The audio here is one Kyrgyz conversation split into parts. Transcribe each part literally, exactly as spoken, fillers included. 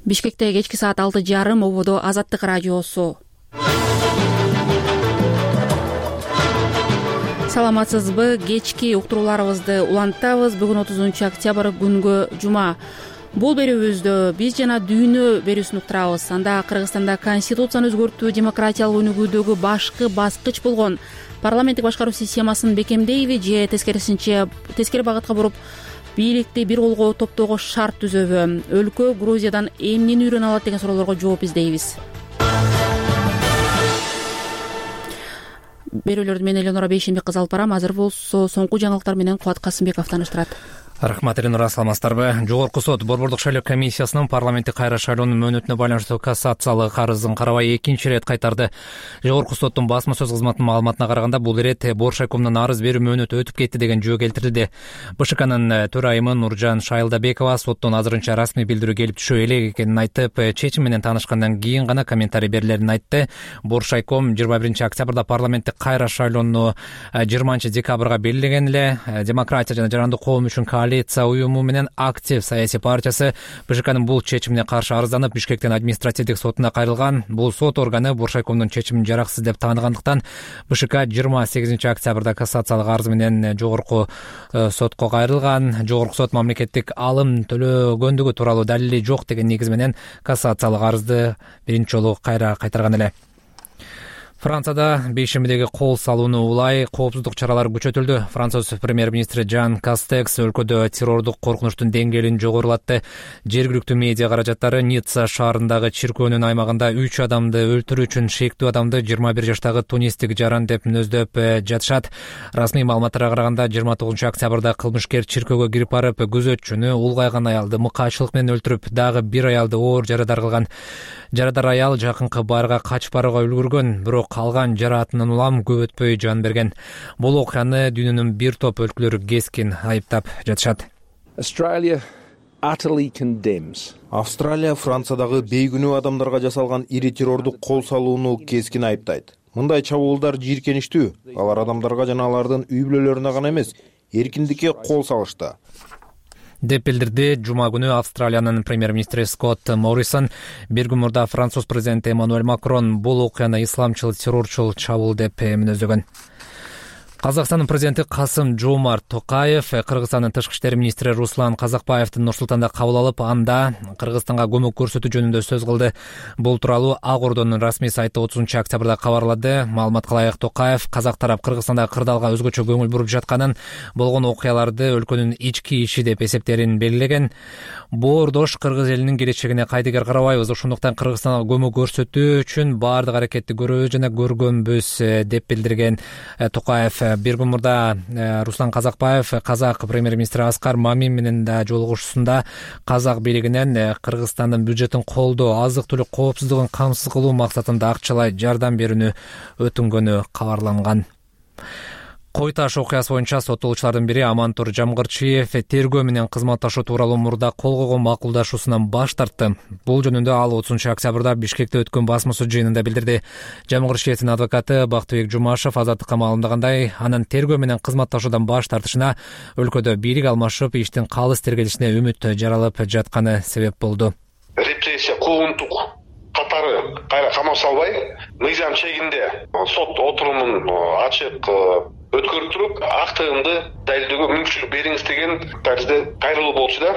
Бишкекте кечки саат алты жарым ободо Азаттык радиосу. Саламатсызбы? Кечки уктурууларыбызды улантабыз. Бүгүн отузунчу октябрь күнгө жума. Бул берүүбүздө биз жана дүйнө берүүсүн уктурабыз. Анда Кыргызстанда конституцияны өзгөртүү демократиялык өнүгүүдөгү башкы баскыч болгон парламенттик башкаруу системасын бекемдейби же тескерисинче тескери багытка буруп бийликти бир колго топтоого шарт түзөбү? Өлкө Грузиядан эмнени үйрөнө алат деген суроолорго жооп издейбиз. Берүүлөрдү мен Элеонора Бейшенбек кызы алып барам. Азыр болсо соңку жаңылыктар менен Кубат Касымбеков тааныштырат. Рахмат, Элеонора, саламатсыздарбы? Жогорку сот Борбордук шайлоо комиссиясынын парламенттик кайра шайлоонун мөөнөтүнө байланыштуу кассациялык арызын карабай экинчи ирет кайтарды. Жогорку соттун басма сөз кызматынын маалыматына караганда, бул ирет Боршайкомдун арыз берүү мөөнөтү өтүп кетти деген жөө келтирилди. БШКнын төрайымы Нуржан Шайылдабекова соттон азырынча расмий билдирүү келип түшө элек экенин айтып, чечим менен таанышкандан кийин гана комментарий берилерин айтты. Боршайком жыйырма биринчи октябрда парламенттик кайра шайлоону жыйырманчы декабрга белгилеген эле. Демократия жана жарандык коом үчүн коалиция уюму менен актив саясий партиясы БШКнын бул чечимине каршы арызданып, Бишкектин административдик сотуна кайрылган. Бул сот органы Боршайкомдун чечимин жараксыз деп тааныгандыктан БШК жыйырма сегизинчи октябрда кассациялык арыз менен жогорку сотко кайрылган. Жогорку сот мамлекеттик алым төлөгөндүгү тууралуу далили жок деген негиз менен кассациялык арызды биринчи жолу кайра кайтарган эле. Францияда бейшембидеги кол салууну улай коопсуздук чаралары күчөтүлдү. Француз премьер-министри Жан Кастекс өлкөдө террордук коркунучтун деңгээлин жогорулатты. Жергиликтүү медиа каражаттары Ницца шаарындагы чиркөөнүн аймагында үч адамды өлтүрүү үчүн шектүү адамды жыйырма бир жаштагы тунистик жаран деп мүнөздөп жатышат. Расмий маалыматтарга караганда, жыйырма тогузунчу октябрда кылмышкер чиркөөгө кирип барып, күзөтчүнү, улгайган аялды мыкаачылык менен өлтүрүп, дагы бир аялды оор жарадар кылган. Жарадар аял жакынкы баарга качып барууга үлгүргөн, бирок калган жараатынан улам көп өтпөй жан берген. Бул окуяны дүйнөнүн бир топ өлкөлөрү кескин айыптап жатышат. Австралия Франциядагы бейгүнөө адамдарга жасалган ири террордук кол салууну кескин айыптайт. Мындай чабуулдар жийиркеничтүү. Алар адамдарга жана алардын үй бүлөлөрүнө гана эмес, эркиндикке кол салышты деп билдирди жума күнү Австралиянын премьер-министри Скотт Моррисон. Бир күн мурда Француз президенти Эммануэль Макрон бул окуяны исламчыл террорчул чабуул деп мүнөздөгөн. Казакстандын президенти Касым Жомарт Токаев Кыргызстандын тышкы иштер министри Руслан Казакбаевди Нур-Султанда кабыл алып, анда Кыргызстанга көмөк көрсөтүү жөнүндө сөз кылды. Бул тууралуу Ак Ордонун расмий сайты отузунчу октябрда кабарлады. Маалыматка ылайык, Токаев Казак тарап Кыргызстандагы кырдаалга өзгөчө көңүл буруп жатканын, болгон окуяларды өлкөнүн ички иши деп эсептерин белгилеген. Боордош Кыргыз элинин келечегине кайдыгер карабайбыз, ошондуктан Кыргызстанга көмөк көрсөтүү үчүн баардык аракетти көрөбүз жана көргөнбүз деп билдирген Токаев. Бир күн мурда Руслан Казакбаев Казак премьер-министри Аскар Мамин менен да жолугушуусунда Казак бийлигинен Кыргызстандын бюджетин колдоо, азык-түлүк коопсуздугун камсыз кылуу максатында акчалай жардам берүүнү өтүнгөнү кабарланган. Кой таш окуясы боюнча соттолуучулардын бири Амантур Жамгырчиев тергөө менен кызматташуу тууралуу мурда кол койгон макулдашуусунан баш тартты. Бул жөнүндө ал отузунчу октябрда Бишкекте өткөн басма сөз жыйынында билдирди. Жамгырчиевдин адвокаты Бактыбек Жумашев Азаттыкка маалымдагандай, анын тергөө менен кызматташуудан баш тартышына өлкөдө бийлик алмашып, иштин калыс тергелишине үмүт жаралып жатканы себеп болду. Репрессия, куугунтук катары кайра камап салбай, мыйзам чегинде сот отурумун ачык өткөрүп туруп, актыгымды далилдөөгө мүмкүнчүлүк бериңиз деген тарзда кайрылуу болчу да.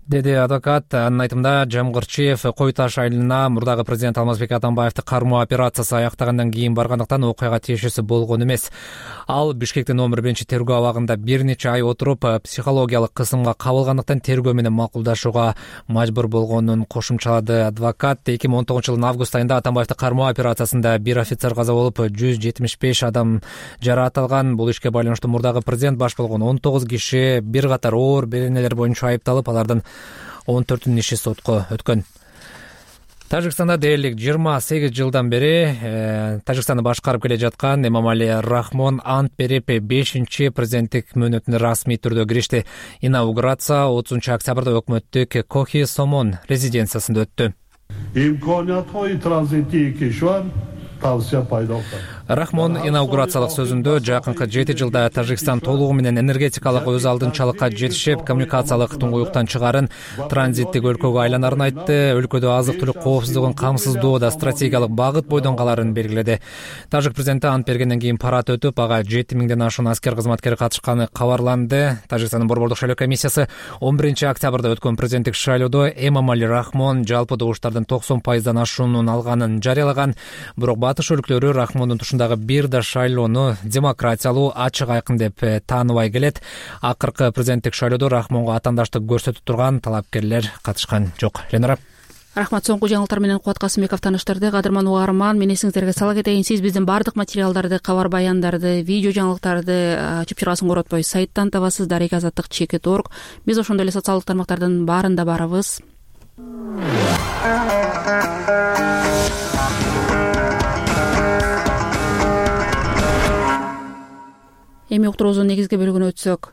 Деди адвокат. Анын айтымында, Жамгырчиев Кой таш айылына мурдагы президент Алмазбек Атамбаевди кармоо операциясы аяктагандан кийин баргандыктан окуяга тиешеси болгон эмес. Ал Бишкектин номер биринчи тергөө абагында бир нече ай отуруп, психологиялык кысымга кабылгандыктан тергөө менен макулдашууга мажбур болгонун кошумчалады адвокат. эки миң он тогузунчу жылдын август айында Атамбаевди кармоо операциясында бир офицер каза болуп, жүз жетимиш беш адам жараат алган. Бул ишке байланыштуу мурдагы президент баш болгон он тогуз киши бир катар оор беренелер боюнча айыпталып, алардын он төртүнүн иши сотко өткөн. Тажикстанда дээрлик жыйырма сегиз жылдан бери э, Тажикстанды башкарып келе жаткан Эмомали Рахмон ант берип бешинчи президенттик мөөнөтүнө расмий түрдө киришти. Инаугурация отузунчу октябрда өкмөттүк Кохи Сомон резиденциясында өттү. Рахмон инаугурациялык сөзүндө жакынкы жети жылда Тажикстан толугу менен энергетикалык өз алдынчалыкка жетишип, коммуникациялык туңгуюктан чыгарын, транзиттик өлкөгө айланарын айтты. Өлкөдө азык-түлүк коопсуздугун камсыздоодо стратегиялык багыт бойдон каларын белгиледи. Тажик президенти ант бергенден кийин парад өтүп, ага жети миңден ашуун аскер кызматкер катышканы кабарланды. Тажикстандын борбордук шайлоо комиссиясы он биринчи октябрда өткөн президенттик шайлоодо Эмомали Рахмон жалпы добуштардын токсон пайыздан ашуунун алганын жарыялаган. Бирок батыш өлкөлөрү Рахмондун тушундагы бир да шайлоону демократиялуу, ачык, айкын деп тааныбай келет. Акыркы президенттик шайлоодо Рахмонго атаандаштык көрсөтүп турган талапкерлер катышкан жок. Ленара. Рахмат. Соңку жаңылыктар менен Кубат Касымбеков тааныштырды. Кадырман угарман, мен эсиңиздерге сала кетейин. Сиз биздин бардык материалдарды, кабар баяндарды, видео жаңылыктарды чыпчырасын коротпой сайттан табасыз, дареги азаттык чекит точка орг. Биз ошондой эле социалдык тармактардын баарында барабыз. Эми уктуруубуздун негизги бөлүгүнө өтсөк,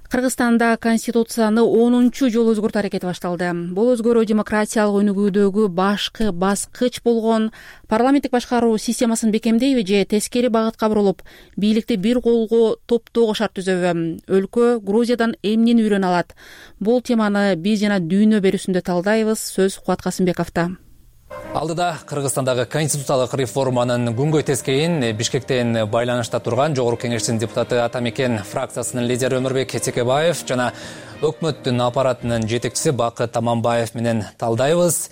Кыргызстанда конституцияны онунчу жолу өзгөртүү аракети башталды. Бул өзгөрүү демократиялык өнүгүүдөгү башкы баскыч болгон парламенттик башкаруу системасын бекемдейби же тескери багытка бурулуп, бийликти бир колго топтоого шарт түзөбү? Өлкө Грузиядан эмнени үйрөнө алат? Бул теманы биз жана дүйнө берүүсүндө талдайбыз. Сөз Кубат Касымбековдо. Алдыда Кыргызстандагы конституциялык реформанын күнгөй тескейин Бишкектен байланышта турган Жогорку Кеңештин депутаты Атамекен фракциясынын лидери Өмүрбек Текебаев жана өкмөттүн аппаратынын жетекчиси Бакыт Таманбаев менен талдайбыз.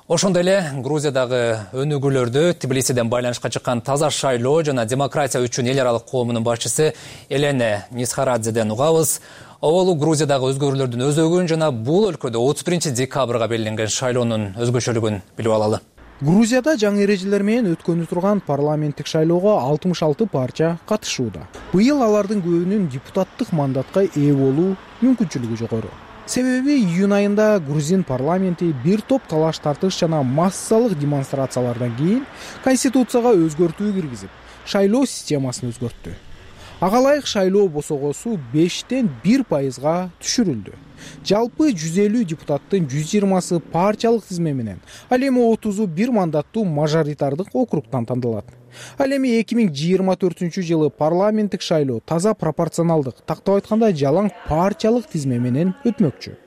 Ошондой эле Грузиядагы өнүгүүлөрдү Тбилисиден байланышка чыккан таза шайлоо жана демократия үчүн эл аралык коомунун башчысы Элена Нисхарадзеден угабыз. Оболу Грузиядагы өзгөрүүлөрдүн өзөгүн жана бул өлкөдө отуз биринчи декабрга белгиленген шайлоонун өзгөчөлүгүн билип алалы. Грузияда жаңы эрежелер менен өткөнү турган парламенттик шайлоого алтымыш алты парча катышууда. Быйыл алардын көбүнүн депутаттык мандатка ээ болуу мүмкүнчүлүгү жогору. Себеби июнь айында грузин парламенти бир топ талаш тартыш жана массалык демонстрациялардан кийин конституцияга өзгөртүү киргизип, шайлоо системасын өзгөрттү. Ага ылайык шайлоо босогосу бештен бир пайызга түшүрүлдү. Жалпы жүз элүү депутаттын жүз жыйырмасы партиялык тизме менен, ал эми отузу бир мандаттуу мажоритардык округтан тандалат. Ал эми эки миң жыйырма төртүнчү жылы парламенттик шайлоо таза пропорционалдык, тактап айтканда жалаң партиялык тизме менен өтмөкчү.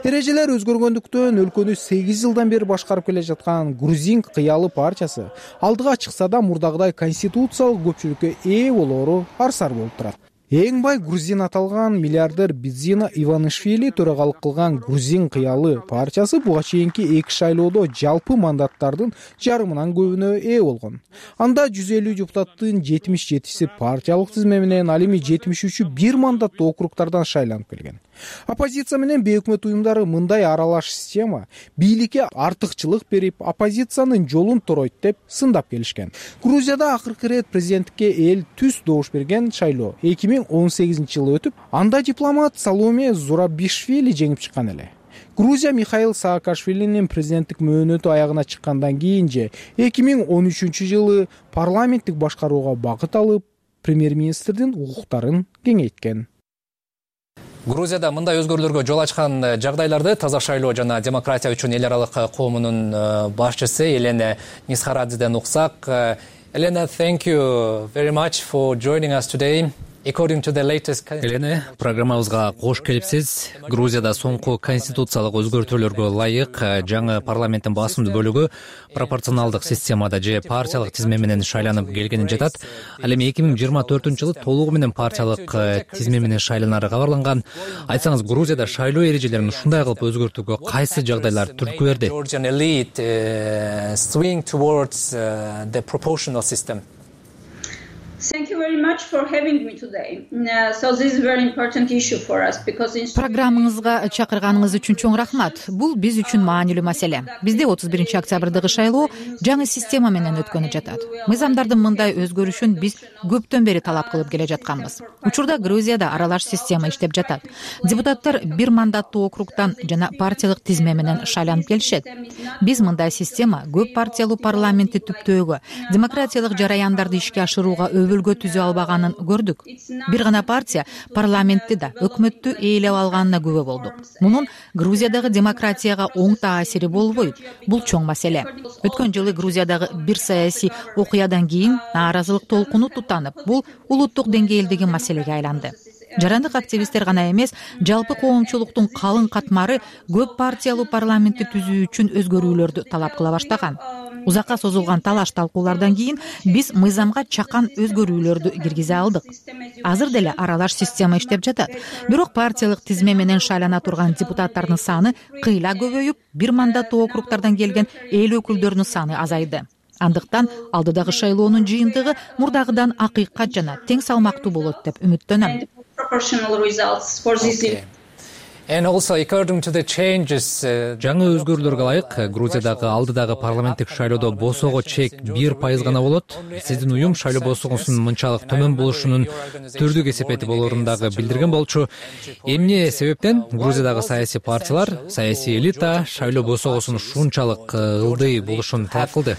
Эрежелер өзгөргөндүктөн өлкөнү сегиз жылдан бери башкарып келе жаткан Грузин кыялы партиясы алдыга чыкса да мурдагыдай конституциялык көпчүлүккө ээ болоору арсар болуп турат. Эң бай грузин аталган миллиардер Бидзина Иванишвили төрагалык кылган Грузин кыялы партиясы буга чейинки эки шайлоодо жалпы мандаттардын жарымынан көбүнө ээ болгон. Анда жүз элүү депутаттын жетимиш жетиси партиялык тизме менен, ал эми жетимиш үчү бир мандаттуу округтардан шайланып келген. Оппозиция менен бейөкмөт уюмдары мындай аралаш система бийликке артыкчылык берип, оппозициянын жолун торойт деп сындап келишкен. Грузияда акыркы ирет президенттикке эл түз добуш берген шайлоо эки миң он сегизинчи жылы өтүп, анда дипломат Саломе Зурабишвили жеңип чыккан эле. Грузия Михаил Саакашвилинин президенттик мөөнөтү аягына чыккандан кийин же эки миң он үчүнчү жылы парламенттик башкарууга багыт алып, премьер-министрдин укуктарын кеңейткен. Грузияда мындай өзгөрүүлөргө жол ачкан жагдайларды таза шайлоо жана демократия үчүн эл аралык коомунун башчысы Элена Нисхарадзеден уксак. Elena, thank you very much for joining us today. According to the latest... Элена, программабызга кош келипсиз. Грузияда соңку конституциялык өзгөртүүлөргө ылайык жаңы парламенттин басымдуу бөлүгү пропорционалдык системада же партиялык тизме менен шайланып келгенин жатат. Ал эми эки миң жыйырма төртүнчү жылы толугу менен партиялык тизме менен шайланары кабарланган. Айтсаңыз, Грузияда шайлоо эрежелерин ушундай кылып өзгөртүүгө кайсы жагдайлар түрткү берди? Georgian elite uh, swing towards uh, the proportional system. Thank you very much for having me today. Uh, so this is a very important issue for us because in... Программаңызга чакырганыңыз үчүн чоң рахмат. Бул биз үчүн маанилүү маселе. Бизде отуз биринчи октябрдагы шайлоо жаңы система менен өткөнү жатат. Мыйзамдардын мындай өзгөрүшүн биз көптөн бери талап кылып келе жатканбыз. Учурда Грузияда аралаш система иштеп жатат. Депутаттар бир мандаттуу округтан жана партиялык тизме менен шайланып келишет. Биз мындай система көп партиялуу парламентти түптөөгө, демократиялык жараяндарды ишке ашырууга өлгө түзө албаган албаганын көрдүк. Бир гана партия парламентти да, өкмөттү ээлеп алганына күбө болдук. Мунун Грузиядагы демократияга оң таасири болбойт. Бул чоң маселе. Өткөн жылы Грузиядагы бир саясий окуядан кийин нааразылык толкуну тутанып, бул улуттук деңгээлдеги маселеге айланды. Жарандык активисттер гана эмес, жалпы коомчулуктун калың катмары көп партиялуу парламентти түзүү үчүн өзгөрүүлөрдү талап кыла баштаган. Узакка созулган талаш талкуулардан кийин биз мыйзамга чакан өзгөрүүлөрдү киргизе алдык. Азыр деле аралаш система иштеп жатат. Бирок партиялык тизме менен шайлана турган депутаттардын саны кыйла көбөйүп, бир мандаттуу округдардан келген эл өкүлдөрүнүн саны азайды. Андыктан алдыдагы шайлоонун жыйынтыгы мурдагыдан акыйкат жана тең салмактуу болот деп үмүттөнөм. Жаңы өзгөрүүлөргө ылайык Грузиядагы алдыдагы парламенттик шайлоодо босого чек бир пайыз гана болот. Сиздин уюм шайлоо босогусунун мынчалык төмөн болушунун түрдүк эсепети болоорун дагы билдирген болчу. Эмне себептен Грузиядагы саясий партиялар, саясий элита шайлоо босогусунун ушунчалык ылдый болушун талап кылды?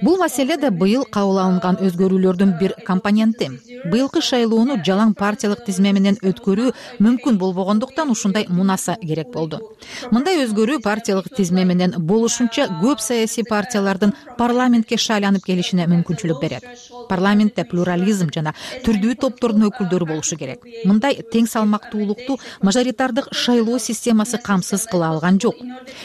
Бул маселе да быйыл кабыл алынган өзгөрүүлөрдүн бир компоненти. Быйылкы шайлоону жалаң партиялык тизме менен өткөрүү мүмкүн болбогондуктан ушундай мунаса керек болду. Мындай өзгөрүү партиялык тизме менен болушунча көп саясий партиялардын парламентке шайланып келишине мүмкүнчүлүк берет. Парламентте плюрализм жана түрдүү топтордун өкүлдөрү болушу керек. Мындай тең салмактуулукту мажоритардык шайлоо системасы камсыз кыла алган жок.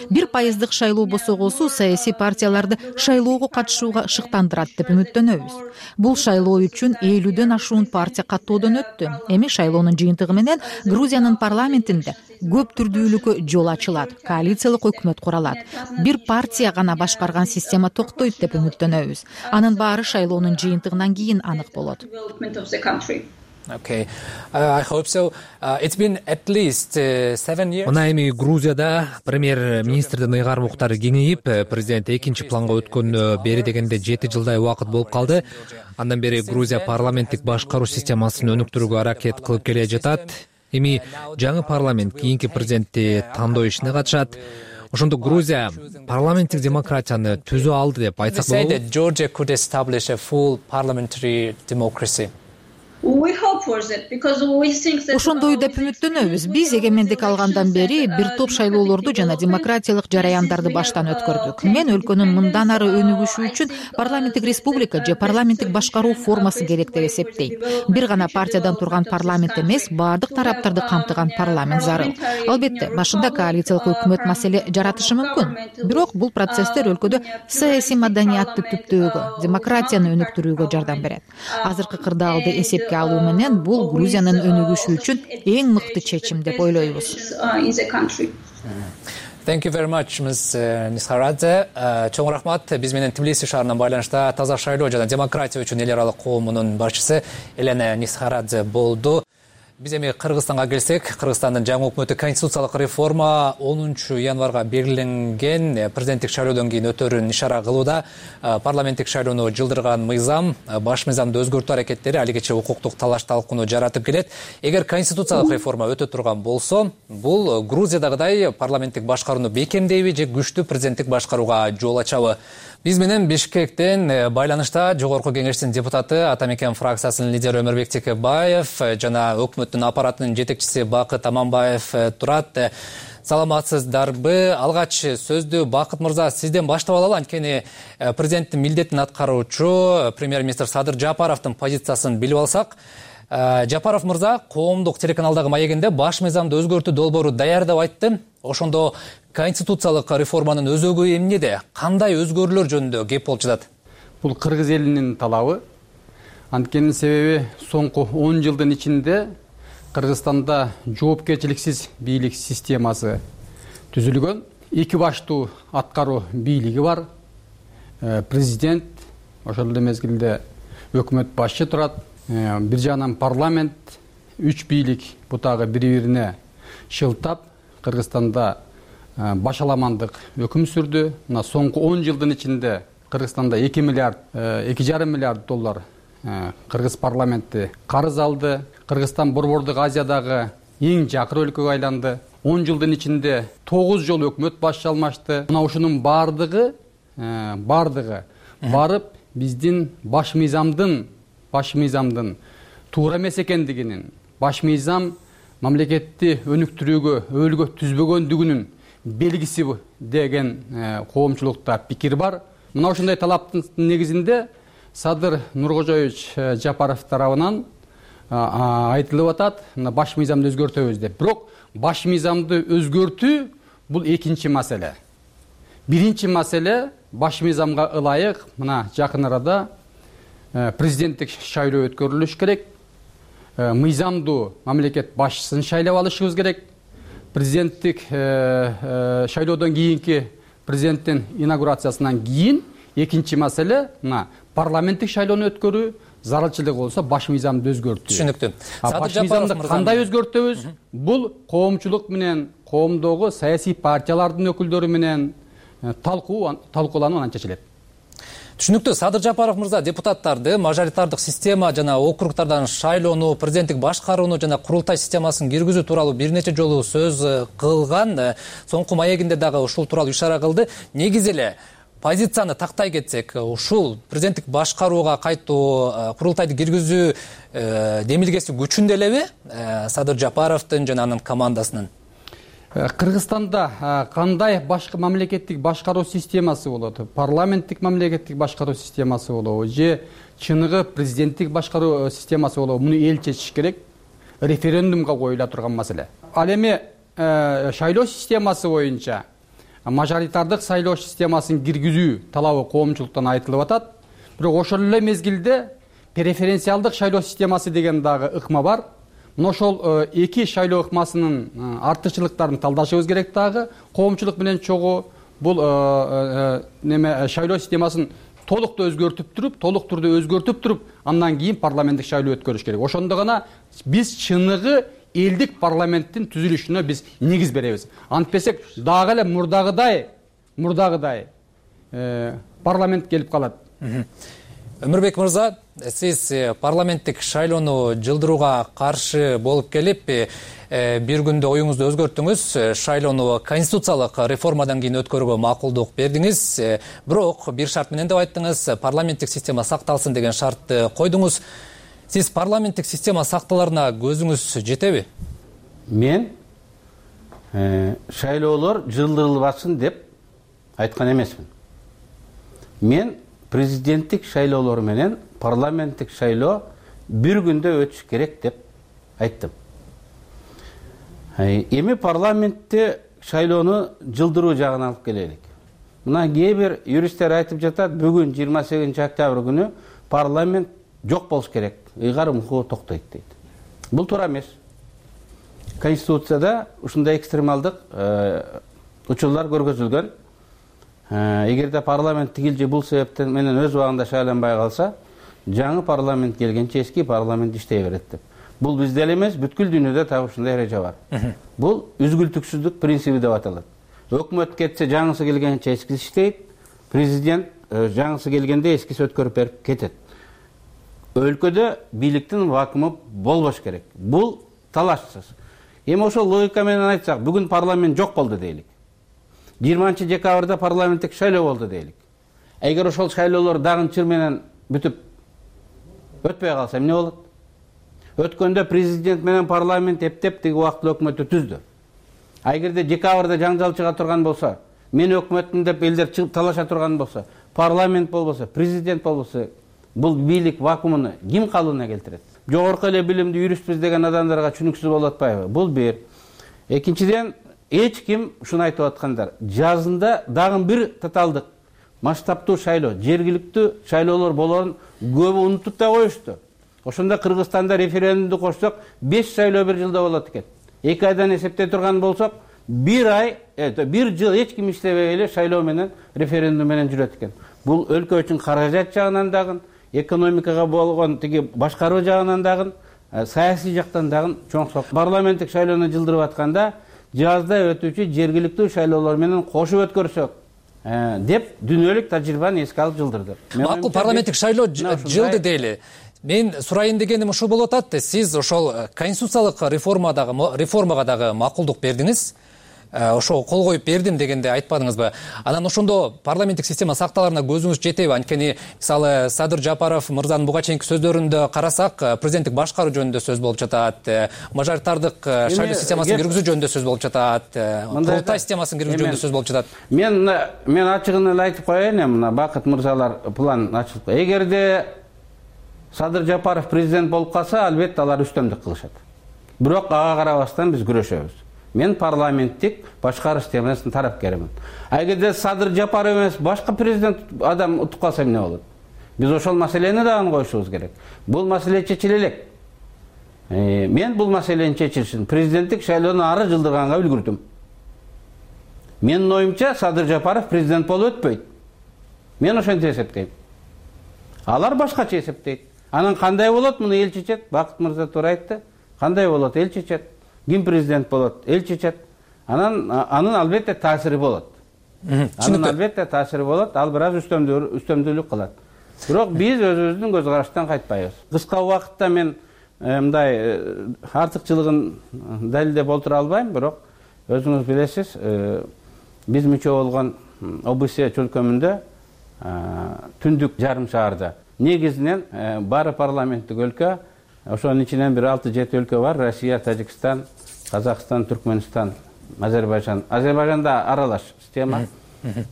Бир пайыздык шайлоо босогосу саясий партияларды шайлоого катышууга шыктандырат деп үмүттөнөбүз. Бул шайлоо үчүн элүүдөн ашуун партия каттоодон өттү. Эми шайлоонун жыйынтыгы менен Грузиянын парламентинде көп түрдүүлүккө жол ачылат, коалициялык өкмөт куралат. Бир партия гана башкарган система токтойт деп үмүттөнөбүз. Анын баары шайлоонун жыйынтыгынан кийин анык болот. Okay. Uh, I hope so. Uh, it's been at least uh, seven years. Мына эми Грузияда премьер-министрдин ыйгарым уктары кеңейип, президент экинчи планга өткөнүнө бери дегенде жети жылдай убакыт болуп калды. Андан бери Грузия парламенттик башкаруу системасын өнүктүрүүгө аракет кылып келе жатат. Эми жаңы парламент кийинки президентти тандоо ишине катышат. Ошондо Грузия парламенттик демократияны түзө алды деп айтсак болобу? They say that Georgia could establish a full parliamentary democracy. Ошондой деп үмүттөнөбүз. Биз эгемендик алгандан бери бир топ шайлоолорду жана демократиялык жараяндарды баштан өткөрдүк. Мен өлкөнүн мындан ары өнүгүшү үчүн парламенттик республика же парламенттик башкаруу формасы керек деп эсептейм. Бир гана партиядан турган парламент эмес, баардык тараптарды камтыган парламент зарыл. Албетте, башында коалициялык өкмөт маселе жаратышы мүмкүн. Бирок бул процесстер өлкөдө саясий маданиятты түптөөгө, демократияны өнүктүрүүгө жардам берет. Азыркы кырдаалды эсепке алуу менен бул Грузиянын өнүгүшү үчүн эң мыкты чечим деп ойлойбуз. Thank you very much, Miz Нисхарадзе. Чоң рахмат. Биз менен Тбилиси шаарынан байланышта таза шайлоо жана демократия үчүн эл аралык коомунун башчысы Елена Нисхарадзе болду. Биз эми Кыргызстанга келсек, Кыргызстандын жаңы өкмөтү конституциялык реформа онунчу январга белгиленген президенттик шайлоодон кийин өтөрүн ишара кылууда. Парламенттик шайлоону жылдырган мыйзам, баш мыйзамды өзгөртүү аракеттери алигече укуктук талаш талкууну жаратып келет. Эгер конституциялык реформа өтө турган болсо, бул Грузиядагыдай парламенттик башкарууну бекемдейби же күчтүү президенттик башкарууга жол ачабы? Биз менен Бишкектен байланышта жогорку кеңештин депутаты, Ата Мекен фракциясынын лидери Өмүрбек Текебаев жана өкмөттүн аппаратынын жетекчиси Бакыт Аманбаев турат. Саламатсыздарбы? Алгач сөздү Бакыт мырза сизден баштап алалы, анткени президенттин милдетин аткаруучу премьер-министр Садыр Жапаровдун позициясын билип алсак, Жапаров мырза коомдук телеканалдагы маегинде баш мыйзамды өзгөртүү долбоору даяр деп айтты. Ошондо конституциялык реформанын өзөгү эмнеде? Кандай өзгөрүүлөр жөнүндө кеп болуп жатат? Бул кыргыз элинин талабы. Анткени себеби соңку он жылдын ичинде Кыргызстанда жоопкерчиликсиз бийлик системасы түзүлгөн. Эки баштуу аткаруу бийлиги бар. Президент, ошол эле мезгилде өкмөт башчы турат. Бир жагынан парламент, үч бийлик бутагы бири-бирине шылтап, Кыргызстанда башаламандык өкүм сүрдү. Мына соңку он жылдын ичинде Кыргызстанда эки миллиард, эки жарым миллиард доллар кыргыз парламенти карыз алды. Кыргызстан Борбордук Азиядагы эң жакыр өлкөгө айланды. он жылдын ичинде тогуз жолу өкмөт башчы алмашты. Мына ушунун баардыгы бардыгы барып биздин баш мыйзамдын баш мыйзамдын туура эмес экендигинин, баш мыйзам мамлекетти өнүктүрүүгө өбөлгө түзбөгөндүгүнүн белгиси деген коомчулукта пикир бар. Мына ушундай талаптын негизинде Садыр Нуркожоевич Жапаров тарабынан айтылып атат, мына баш мыйзамды өзгөртөбүз деп. Бирок баш мыйзамды өзгөртүү бул экинчи маселе. Биринчи маселе баш мыйзамга ылайык мына жакын арада президенттик шайлоо өткөрүлүш керек. Мыйзамдуу мамлекет башчысын шайлап алышыбыз керек. Президенттик шайлоодон кийинки президенттин инаугурациясынан кийин экинчи маселе мына парламенттик шайлоону өткөрүү, зарылчылык болсо баш мыйзамды өзгөртүү. Түшүнүктүү. Баш мыйзамды кандай өзгөртөбүз? Бул коомчулук менен, коомдогу саясий партиялардын өкүлдөрү менен талкуу талкууланып анан чечилет. Түшүнүктүү. Садыр Жапаров мырза депутаттарды мажоритардык система жана округдардан шайлоону, президенттик башкарууну жана курултай системасын киргизүү тууралуу бир нече жолу сөз кылган. Соңку маегинде дагы ушул тууралуу ишара кылды. Негизи эле позицияны тактай кетсек, ушул президенттик башкарууга кайтуу, курултайды киргизүү демилгеси күчүндө элеби Садыр Жапаровдун жана анын командасынын? Кыргызстанда кандай башка мамлекеттик башкаруу системасы болот? Парламенттик мамлекеттик башкаруу системасы болобу же чыныгы президенттик башкаруу системасы болобу? Муну эл чечиш керек. Референдумга коюла турган маселе. Ал эми шайлоо системасы боюнча мажоритардык сайлоо системасын киргизүү талабы коомчулуктан айтылып атат. Бирок ошол эле мезгилде преференциалдык шайлоо системасы деген дагы ыкма бар. Мына ошол эки шайлоо ыкмасынын артыкчылыктарын талдашыбыз керек дагы. Коомчулук менен чогуу бул неме шайлоо системасын толуктуу өзгөртүп туруп, толук түрдө өзгөртүп туруп, андан кийин парламенттик шайлоо өткөрүш керек. Ошондо гана биз чыныгы элдик парламенттин түзүлүшүнө биз негиз беребиз. Антпесек дагы эле мурдагыдай, мурдагыдай парламент келип калат. Өмүрбек мырза, сиз парламенттик шайлоону жылдырууга каршы болуп келип, бир күндө оюңузду өзгөрттүңүз, шайлоону конституциялык реформадан кийин өткөрүүгө макулдук бердиңиз. Бирок бир шарт менен деп айттыңыз, парламенттик система сакталсын деген шартты койдуңуз. Сиз парламенттик система сакталарына көзүңүз жетеби? Мен шайлоолор жылдырылбасын деп айткан эмесмин. Мен президенттик шайлоолор менен парламенттик шайлоо бир күндө өтүш керек деп айттым. Эми парламентте шайлоону жылдыруу жагына алып келелик. Мына кээ бир юристтер айтып жатат, бүгүн жыйырма сегизинчи октябрь күнү парламент жок болуш керек, ыйгарым укугу токтойт дейт. Бул туура эмес. Конституцияда ушундай экстремалдык учурлар көргөзүлгөн. Эгерде парламент тигил же бул себептен менен өз убагында шайланбай калса, жаңы парламент келгенче эски парламент иштей берет деп. Бул бизде эле эмес, бүткүл дүйнөдө так ушундай эреже бар. Бул үзгүлтүксүздүк принциби деп аталат. Өкмөт кетсе, жаңысы келгенче эскиси иштейт, президент жаңысы келгенде эскиси өткөрүп берип кетет. Өлкөдө бийликтин вакууму болбош керек. Бул талашсыз. Эми ошол логика менен айтсак, бүгүн парламент жок болду дейлик. жыйырманчы декабрда парламенттик шайлоо болду дейлик. Эгер ошол шайлоолор дагы чыр менен бүтүп өтпөй калса эмне болот? Өткөндө президент менен парламент эптеп тиги убактылуу өкмөттү түздү. Эгерде декабрда жаңжал чыга турган болсо, мен өкмөтмүн деп элдер чыгып талаша турган болсо, парламент болбосо, президент болбосо, бул бийлик вакуумуну ким калыбына келтирет? Жогорку эле билимдүү юристпиз деген адамдарга түшүнүксүз болуп атпайбы? Бул бир. Экинчиден, эч ким ушуну айтып аткандар. Жазында дагы бир тоталдык масштабтуу шайлоо, жергиликтүү шайлоолор болорун көбү унутуп да коюшту. Ошондо Кыргызстанда референдумду кошсок, беш шайлоо бир жылда болот экен. эки айдан эсептей турган болсок, бир ай, бир жыл эч ким иштебей эле шайлоо менен, референдум менен жүрөт экен. Бул өлкө үчүн каражат жагынан дагы, экономикага болгон тиги башкаруу жагынан дагы, саясий жактан дагы чоң сок. Парламенттик шайлоону жылдырып атканда, жазда өтүүчү жергиликтүү шайлоолор менен кошуп өткөрсөк деп дүнөлүк тажрыйбаны эске алып жылдырды. Макул, парламенттик шайлоо жылды дейли. Мен сурайын дегеним ушул болуп атат. Сиз ошол конституциялык реформадагы реформага дагы макулдук бердиңиз. ошого кол коюп бердим дегенде айтпадыңызбы? Анан ошондо парламенттик система сакталарына көзүңүз жетеби? Анткени мисалы Садыр Жапаров мырзанын буга чейинки сөздөрүндө карасак, президенттик башкаруу жөнүндө сөз болуп жатат, мажоритардык шайлоо системасын киргизүү жөнүндө сөз болуп жатат, курултай системасын киргизүү жөнүндө сөз болуп жатат. Мен мен ачыгын эле айтып коеюн, мына Бакыт мырзалар план ачылып. Эгерде Садыр Жапаров президент болуп калса, албетте алар үстөмдүк кылышат. Бирок ага карабастан биз күрөшөбүз. Мен парламенттик башкаруу системасынын тарапкеримин. Эгерде Садыр Жапаров эмес, башка президент адам утуп калса эмне болот? Биз ошол маселени дагы коюшубуз керек. Бул маселе чечиле элек. Мен бул маселенин чечилишин президенттик шайлоону ары жылдырганга үлгүрдүм. Менин оюмча Садыр Жапаров президент болуп өтпөйт. Мен ошентип эсептейм. Алар башкача эсептейт. Анан кандай болот, муну эл чечет. Бакыт мырза туура айтты. Кандай болот, эл чечет. Ким президент болот, эл чечет. Анан анын албетте таасири болот. Анын албетте таасири болот. Ал бир аз үстөмдүүлүк кылат. Бирок биз өзүбүздүн көз караштан кайтпайбыз. Кыска убакытта мен мындай артыкчылыгын далилдеп олтура албайм, бирок өзүңүз билесиз, биз мүчө болгон О Б С чөлкөмүндө түндүк жарым шаарда негизинен баары парламенттик өлкө, ошонун ичинен бир алты жети өлкө бар: Россия, Тажикстан, Казакстан, Түркмөнстан, Азербайжан. Азербайжанда аралаш система.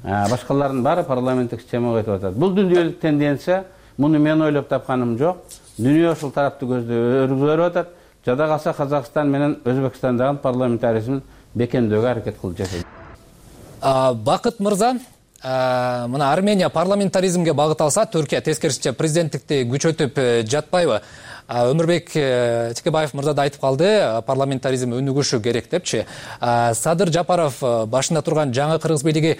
Башкалардын баары парламенттик системага өтүп атат. Бул дүйнөлүк тенденция, муну мен ойлоп тапканым жок. Дүйнө ушул тарапты көздөп өргүзүп атат. Жада калса Казакстан менен Өзбекстандагы парламентаризмин бекемдөөгө аракет кылып жатат. Бакыт мырза, мына Армения парламентаризмге багыт алса, Түркия тескерисинче президенттикти күчөтүп жатпайбы? Өмүрбек Текебаев мырза да айтып калды, парламентаризм өнүгүшү керек депчи. Садыр Жапаров башында турган жаңы кыргыз бийлиги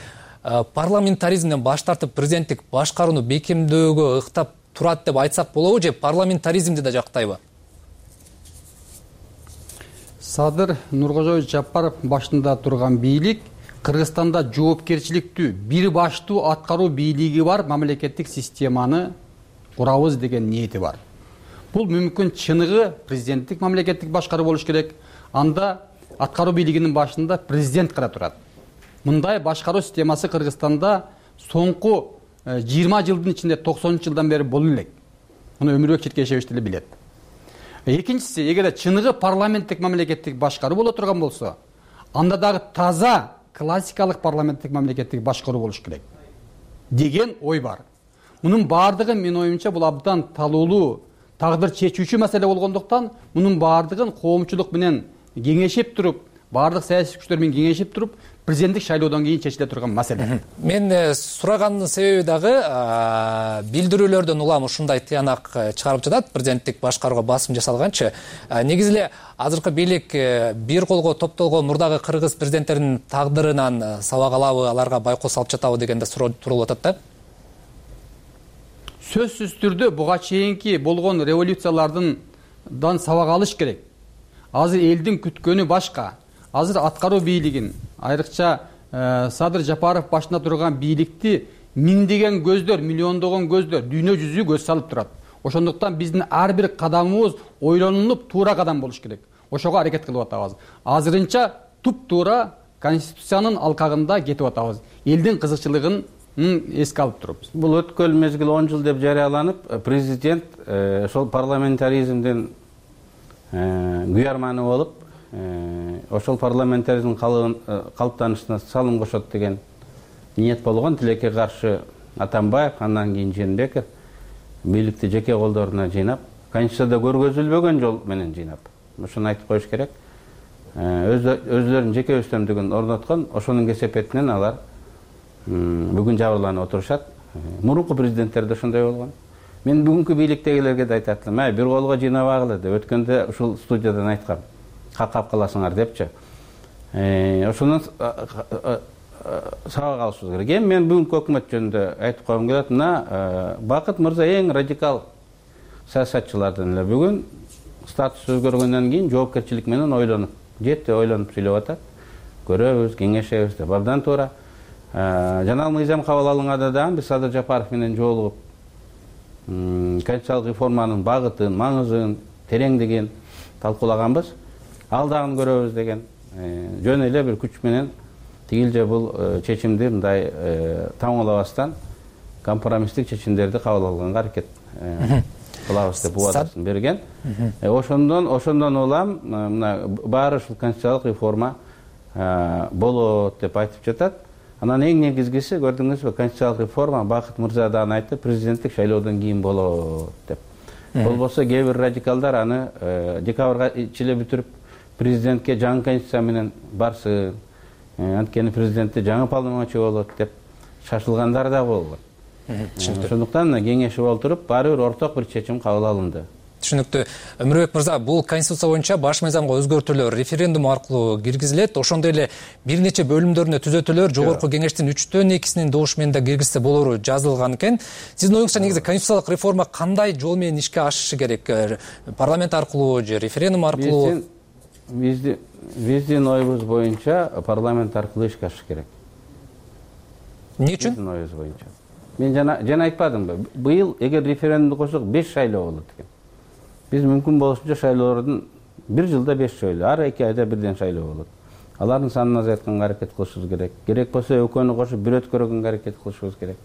парламентаризмден баш тартып президенттик башкарууну бекемдөөгө ыктап турат деп айтсак болобу, же парламентаризмди да жактайбы? Садыр Нуркожоевич Жапаров башында турган бийлик Кыргызстанда жоопкерчиликтүү, бир баштуу аткаруу бийлиги бар мамлекеттик системаны курабыз деген ниети бар. Бул мүмкүн чыныгы президенттик мамлекеттик башкаруу болуш керек. Анда аткаруу бийлигинин башында президент гана турат. Мындай башкаруу системасы Кыргызстанда соңку жыйырма жылдын ичинде токсонунчу жылдан бери боло элек. Муну Өмүрбек Черкешевич деле билет. Экинчиси, эгерде чыныгы парламенттик мамлекеттик башкаруу боло турган болсо, анда дагы таза классикалык парламенттик мамлекеттик башкаруу болуш керек деген ой бар. Мунун баардыгы менин оюмча бул абдан талуулуу, тагдыр чечүүчү маселе болгондуктан, мунун баардыгын коомчулук менен кеңешип туруп, баардык саясий күчтөр менен кеңешип туруп, президенттик шайлоодон кийин чечиле турган маселе. Мен сураганымдын себеби дагы билдирүүлөрдөн улам ушундай тыянак чыгарып жатат, президенттик башкарууга басым жасалганчы. Негизи эле азыркы бийлик бир колго топтолгон мурдагы кыргыз президенттеринин тагдырынан сабак алабы, аларга байкоо салып жатабы дегенде суроо турулуп атат да. Сөзсүз түрдө буга чейинки болгон революциялардан сабак алыш керек. Азыр элдин күткөнү башка. Азыр аткаруу бийлигин, айрыкча Садыр Жапаров башында турган бийликти миңдеген көздөр, миллиондогон көздөр, дүйнө жүзү көз салып турат. Ошондуктан биздин ар бир кадамыбыз ойлонуп, туура кадам болуш керек. Ошого аракет кылып атабыз. Азырынча туп-туура конституциянын алкагында кетип атабыз. Элдин кызыкчылыгын эске алып турупбуз. Бул өткөн мезгил он жыл деп жарыяланып, президент ошол парламентаризмден күйарманы болуп, ошол парламентаризмдин калыптанышына салым кошот деген ниет болгон. Тилекке каршы Атамбаев, андан кийин Жээнбеков бийликти жеке колдоруна жыйнап, Конституцияда көргөзүлбөгөн жол менен жыйнап, ошону айтып коюш керек. Өзлөрүнүн жеке үстөмдүгүн орноткон, ошонун кесепетинен алар бүгүн жабырланып отурушат. Мурунку президенттер да ошондой болгон. Мен бүгүнкү бийликтегилерге да айтат элем, бир колго жыйнабагыла деп өткөндө ушул студиядан айткам. Какап каласыңар депчи. Ошондон сабак алышыбыз керек. Эми мен бүгүнкү өкмөт жөнүндө айтып койгум келет. Мына Бакыт мырза эң радикал саясатчылардан эле. Бүгүн статус өзгөргөндөн кийин жоопкерчилик менен ойлонуп, жетти ойлонуп сүйлөп атат. Көрөбүз, кеңешебиз деп. Абдан туура. Жанал мыйзам кабыл алынганда дагы биз Садыр Жапаров менен жолугуп, конституциялык реформанын багытын, маңызын, тереңдигин талкуулаганбыз. Ал дагы көрөбүз деген жөн эле бир күч менен тигил же бул чечимди мындай тамамлабастан компромисстик чечимдерди кабыл алганга аракет кылабыз деп убадасын берген. Ошондон ошондон улам мына баары ушул конституциялык реформа болот деп айтып жатат. Анан эң негизгиси көрдүңүзбү, конституциялык реформа Бакыт мырза дагы айтты, президенттик шайлоодон кийин болот деп. Болбосо кээ бир радикалдар аны декабрга чейин бүтүрүп президентке жаңы конституция менен барсын, анткени президентте жаңы полномочия болот деп шашылгандар да болгон. Ошондуктан кеңешип отуруп баары бир орток бир чечим кабыл алынды. Түшүнүктүү. Өмүрбек мырза, бул конституция боюнча баш мыйзамга өзгөртүүлөр референдум аркылуу киргизилет. Ошондой эле бир нече бөлүмдөрүнө түзөтүүлөр жогорку кеңештин үчтөн экисинин добушу менен да киргизсе болору жазылган экен. Сиздин оюңузча негизи конституциялык реформа кандай жол менен ишке ашышы керек? Парламент аркылуу же референдум аркылуу? Биздин биздин оюбуз боюнча парламент аркылуу ишке ашыш керек. Эмне үчүн? Биздин оюбуз боюнча. Мен жана жана айтпадымбы? Быйыл эгер референдумду койсок беш шайлоо болот экен. Биз мүмкүн болушунча шайлоолордун бир жылда беш шайлоо, ар эки айда бирден шайлоо болот. Алардын санын азайтканга аракет кылышыбыз керек. Керек болсо экөөнү кошуп бир өткөргөнгө аракет кылышыбыз керек.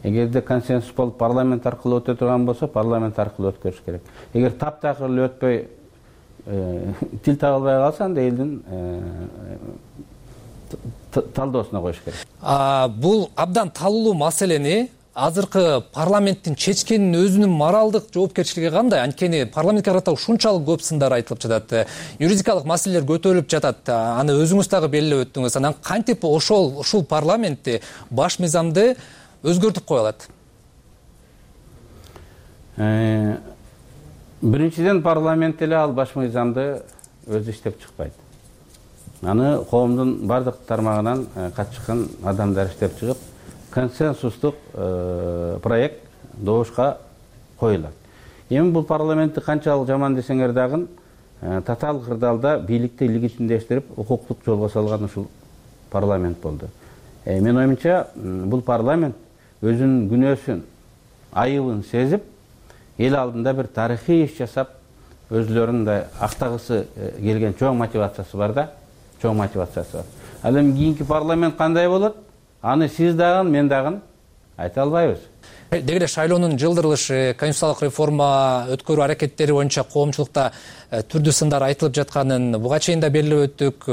Эгерде консенсус болуп парламент аркылуу өтө турган болсо, парламент аркылуу өткөрүш керек. Эгер таптакыр эле өтпөй тил таба албай калса, анда элдин талдоосуна коюш керек. Бул абдан талуулуу маселени азыркы парламенттин чечкенин өзүнүн моралдык жоопкерчилиги кандай? Анткени парламентке карата ушунчалык көп сындар айтылып жатат. Юридикалык маселелер көтөрүлүп жатат. Аны өзүңүз дагы белгилеп өттүңүз. Анан кантип ошол ушул парламентти баш мыйзамды өзгөртүп кое алат? Биринчиден парламент эле ал баш мыйзамды өзү иштеп чыкпайт. Аны коомдун бардык тармагынан катышкан адамдар иштеп чыгып, консенсустук проект добушка коюлат. Эми бул парламентти канчалык жаман десеңер дагы татаал кырдаалда бийликти легитимдештирип, укуктук жолго салган ушул парламент болду. Мен оюмча, бул парламент өзүнүн күнөөсүн, айыбын сезип, эл алдында бир тарыхый иш жасап, өзлөрүн да актагысы келген чоң мотивациясы бар да, чоң мотивациясы бар. Ал эми кийинки парламент кандай болот? Аны сиз дагы, мен дагы айта албайбыз. Деги эле шайлоонун жылдырылышы, конституциялык реформа өткөрүү аракеттери боюнча коомчулукта түрдүү сындар айтылып жатканын буга чейин да белгилеп өттүк.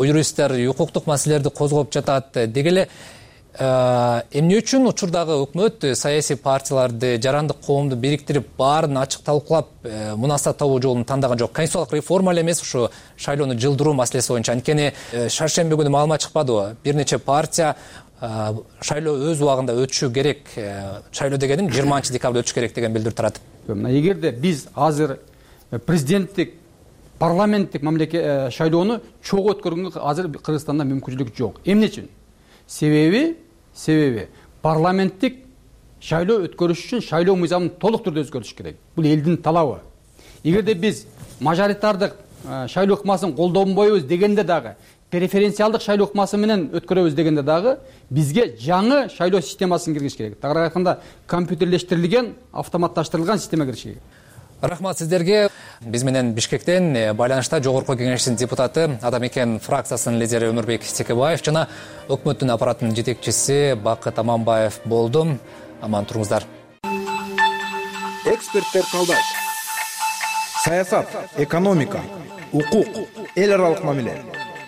Юристтер укуктук маселелерди козгоп жатат. Деги эле эмне үчүн учурдагы өкмөт саясий партияларды, жарандык коомду бириктирип, баарын ачык талкуулап, мунасабат табуу жолун тандаган жок? Конституциялык реформа эле эмес, ушу шайлоону жылдыруу маселеси боюнча. Анткени шаршемби күнү маалымат чыкпадыбы? Бир нече партия шайлоо өз убагында өтүшү керек, шайлоо дегеним жыйырманчы декабрда өтүш керек деген билдирүү таратып. Эгерде биз азыр президенттик, парламенттик мамлекет шайлоону чогуу өткөргөнгө азыр Кыргызстанда мүмкүнчүлүк жок. Эмне үчүн? Себеби, себеби парламенттик шайлоо өткөрүш үчүн шайлоо мыйзамын толук түрдө өзгөртүш керек. Бул элдин талабы. Эгерде биз мажоритардык шайлоо ыкмасын колдонбойбуз дегенде дагы, преференциалдык шайлоо ыкмасы менен өткөрөбүз дегенде дагы бизге жаңы шайлоо системасын киргизиш керек. Тагыраак айтканда, компьютерлештирилген, автоматташтырылган система киргизиш керек. Рахмат сиздерге. Биз менен Бишкектен байланышта жогорку кеңештин депутаты, Атамекен фракциясынын лидери Өмүрбек Текебаев жана өкмөттүн аппаратынын жетекчиси Бакыт Аманбаев болду. Аман туруңуздар. Эксперттер талдайт. Саясат, экономика, укук, эл аралык мамиле,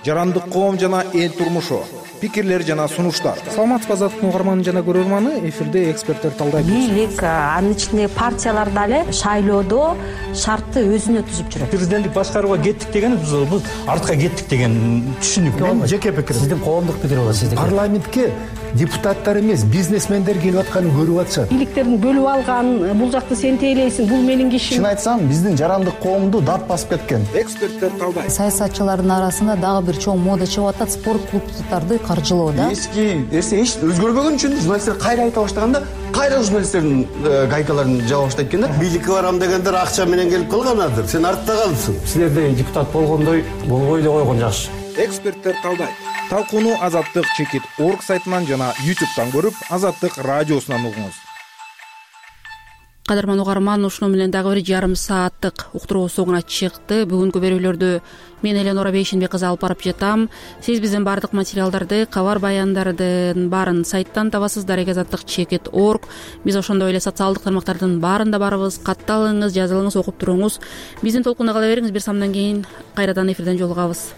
жарандык коом жана эл турмушу, пикирлер жана сунуштар. Саламатсызбы азаттык угарманы жана көрөрманы, эфирде эксперттер талдайт. Бийлик, анын ичинде партиялар дагы шайлоодо шартты өзүнө түзүп жүрөт. Президенттик башкарууга кеттик деген бул артка кеттик деген түшүнүк. Мен жеке пикирим. Сиздин коомдук пикир болот сиздики. Парламентке депутаттар эмес, бизнесмендер келип атканын көрүп атышат. Бийликтердин бөлүп алган, бул жакты сен тейлейсиң, бул менин кишим. Чын айтсам, биздин жарандык коомду дат басып кеткен. Эксперттер талдайт. Саясатчылардын арасында дагы бир чоң мода чыгып атат, спорт клубдарды каржылоо да. Эски нерсе эч өзгөрбөгөн үчүн журналисттер кайра айта баштаганда, кайра журналисттердин гайкаларын жаба баштайт экен да. Бийликке барам дегендер акча менен келип калганадыр. Сен артта калдың. Силерде депутат болгондой болбой эле койгон жакшы. Эксперттер талдайт. Талкууну Азаттык чекит орг сайтынан жана ютубтан көрүп, Азаттык радиосунан угуңуз. кадырман угарман, ушуну менен дагы бир жарым сааттык уктуруубуз соңуна чыкты. Бүгүнкү берүүлөрдү мен Эленора Бейшенбек кызы алып барып жатам. Сиз биздин баардык материалдарды, кабар баяндардын баарын сайттан табасыз, дарек азаттык чекит точка орг. Биз ошондой эле социалдык тармактардын баарында барыбыз. Катталыңыз, жазылыңыз, окуп туруңуз. Биздин толкунда кала бериңиз. Бир самдан кийин кайрадан эфирден жолугабыз.